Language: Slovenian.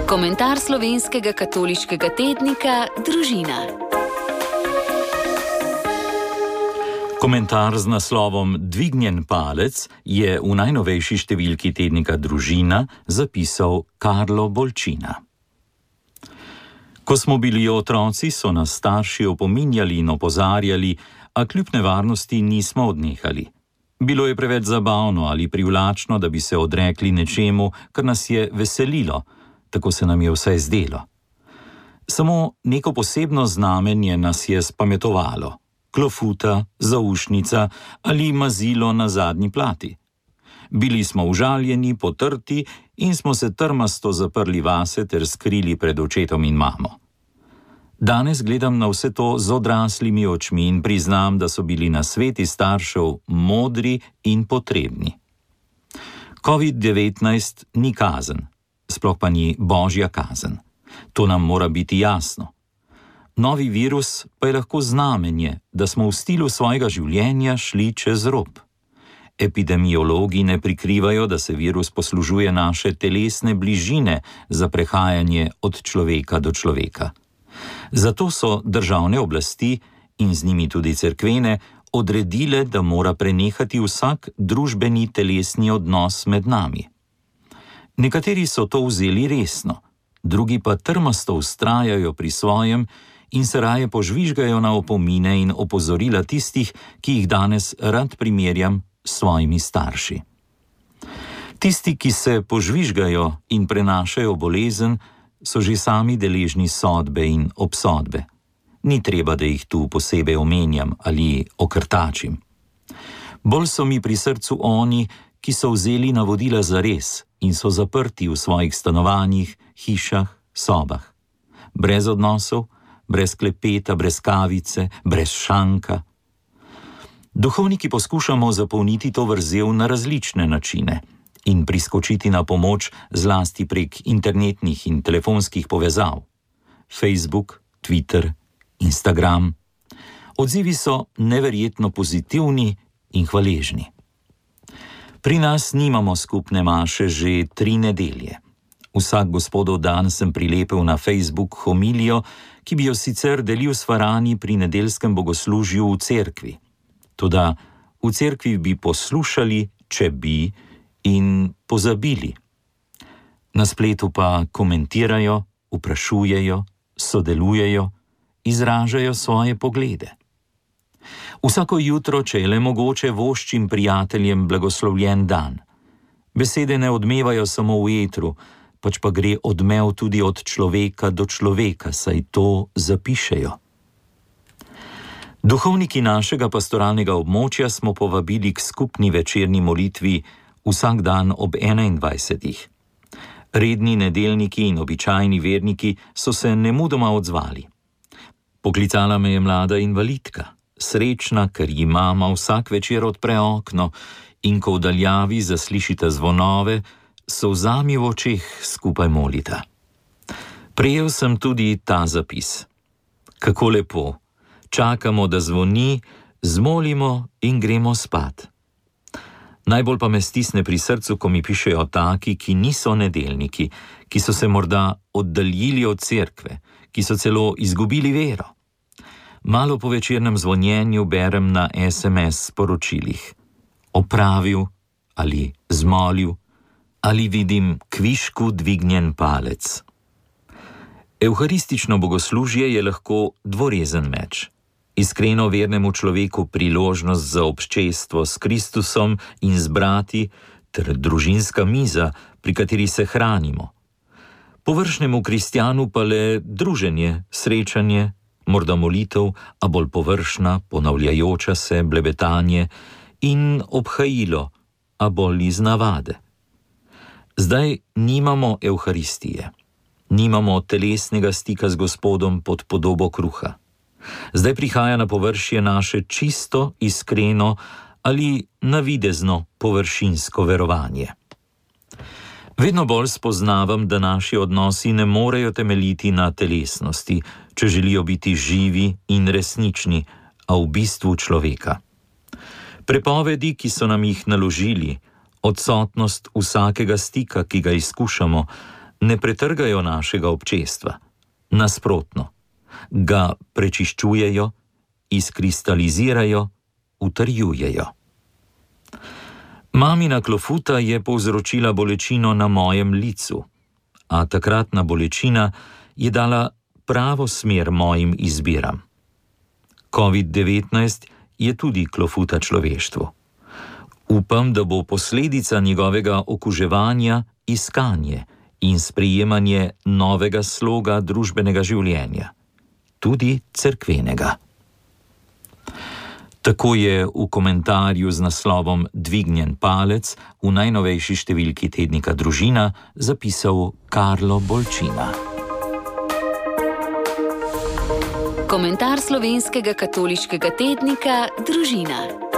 Komentar slovenskega katoliškega tednika Družina. Komentar z naslovom Dvignjen palec je v najnovejši številki tednika Družina zapisal Karlo Bolčina. Ko smo bili otroci, so nas starši opominjali in opozarjali, a kljub nevarnosti nismo odnehali. Bilo je preveč zabavno ali privlačno, da bi se odrekli nečemu, kar nas je veselilo, tako se nam je vsaj zdelo. Samo neko posebno znamenje nas je spametovalo. Klofuta, zaušnica ali mazilo na zadnji plati. Bili smo užaljeni, potrti in smo se trmasto zaprli vase ter skrili pred očetom in mamo. Danes gledam na vse to z odraslimi očmi in priznam, da so bili nasveti staršev modri in potrebni. COVID-19 ni kazen, sploh pa ni božja kazen. To nam mora biti jasno. Novi virus pa je lahko znamenje, da smo v stilu svojega življenja šli čez rob. Epidemiologi ne prikrivajo, da se virus poslužuje naše telesne bližine za prehajanje od človeka do človeka. Zato so državne oblasti in z njimi tudi cerkvene odredile, da mora prenehati vsak družbeni telesni odnos med nami. Nekateri so to vzeli resno, drugi pa trmasto vztrajajo pri svojem in se raje požvižgajo na opomine in opozorila tistih, ki jih danes rad primerjam s svojimi starši. Tisti, ki se požvižgajo in prenašajo bolezen, so že sami deležni sodbe in obsodbe. Ni treba, da jih tu posebej omenjam ali okrtačim. Bolj so mi pri srcu oni, ki so vzeli navodila zares in so zaprti v svojih stanovanjih, hišah, sobah. Brez odnosov, brez klepeta, brez kavice, brez šanka. Duhovniki poskušamo zapolniti to vrzel na različne načine in priskočiti na pomoč zlasti prek internetnih in telefonskih povezav. Facebook, Twitter, Instagram. Odzivi so neverjetno pozitivni in hvaležni. Pri nas nimamo skupne maše že 3 nedelje. Vsak gospodov dan sem prilepil na Facebook homilijo, ki bi jo sicer delil s farani pri nedeljskem bogoslužju v cerkvi. Toda v cerkvi bi poslušali, če bi, in pozabili. Na spletu pa komentirajo, vprašujejo, sodelujejo, izražajo svoje poglede. Vsako jutro, če je le mogoče, voščim prijateljem blagoslovljen dan. Besede ne odmevajo samo v etru, pač pa gre odmev tudi od človeka do človeka, saj to zapišejo. Duhovniki našega pastoralnega območja smo povabili k skupni večerni molitvi vsak dan ob 21. Redni nedeljniki in običajni verniki so se nemudoma odzvali. Poklicala me je mlada invalidka, srečna, ker ji mama vsak večer odpre okno in ko v daljavi zaslišita zvonove, solzami v očeh skupaj molita. Prejel sem tudi ta zapis. Kako lepo, čakamo, da zvoni, zmolimo in gremo spat. Najbolj pa me stisne pri srcu, ko mi pišejo taki, ki niso nedeljniki, ki so se morda oddaljili od cerkve, ki so celo izgubili vero. Malo po večernem zvonjenju berem na SMS sporočilih. Opravil ali zmolil ali vidim kvišku dvignjen palec. Evharistično bogoslužje je lahko dvorezen meč. Iskreno vernemu človeku priložnost za obščestvo s Kristusom in z brati ter družinska miza, pri kateri se hranimo. Površnemu kristjanu pa le druženje, srečanje, morda molitev, a bolj površna, ponavljajoča se, blebetanje in obhajilo, a bolj iz navade. Zdaj nimamo evharistije, nimamo telesnega stika z Gospodom pod podobo kruha. Zdaj prihaja na površje naše čisto, iskreno ali navidezno površinsko verovanje. Vedno bolj spoznavam, da naši odnosi ne morejo temeljiti na telesnosti, če želijo biti živi in resnični, a v bistvu človeka. Prepovedi, ki so nam jih naložili, odsotnost vsakega stika, ki ga izkušamo, Ne pretrgajo našega občestva. Nasprotno, ga prečiščujejo, izkristalizirajo, utrjujejo. Mamina klofuta je povzročila bolečino na mojem licu, a takratna bolečina je dala pravo smer mojim izbiram. COVID-19 je tudi klofuta človeštvu. Upam, da bo posledica njegovega okuževanja iskanje in sprejemanje novega sloga družbenega življenja, tudi cerkvenega. Tako je v komentarju z naslovom Dvignjen palec v najnovejši številki tednika Družina zapisal Karlo Bolčina. Komentar slovenskega katoliškega tednika Družina.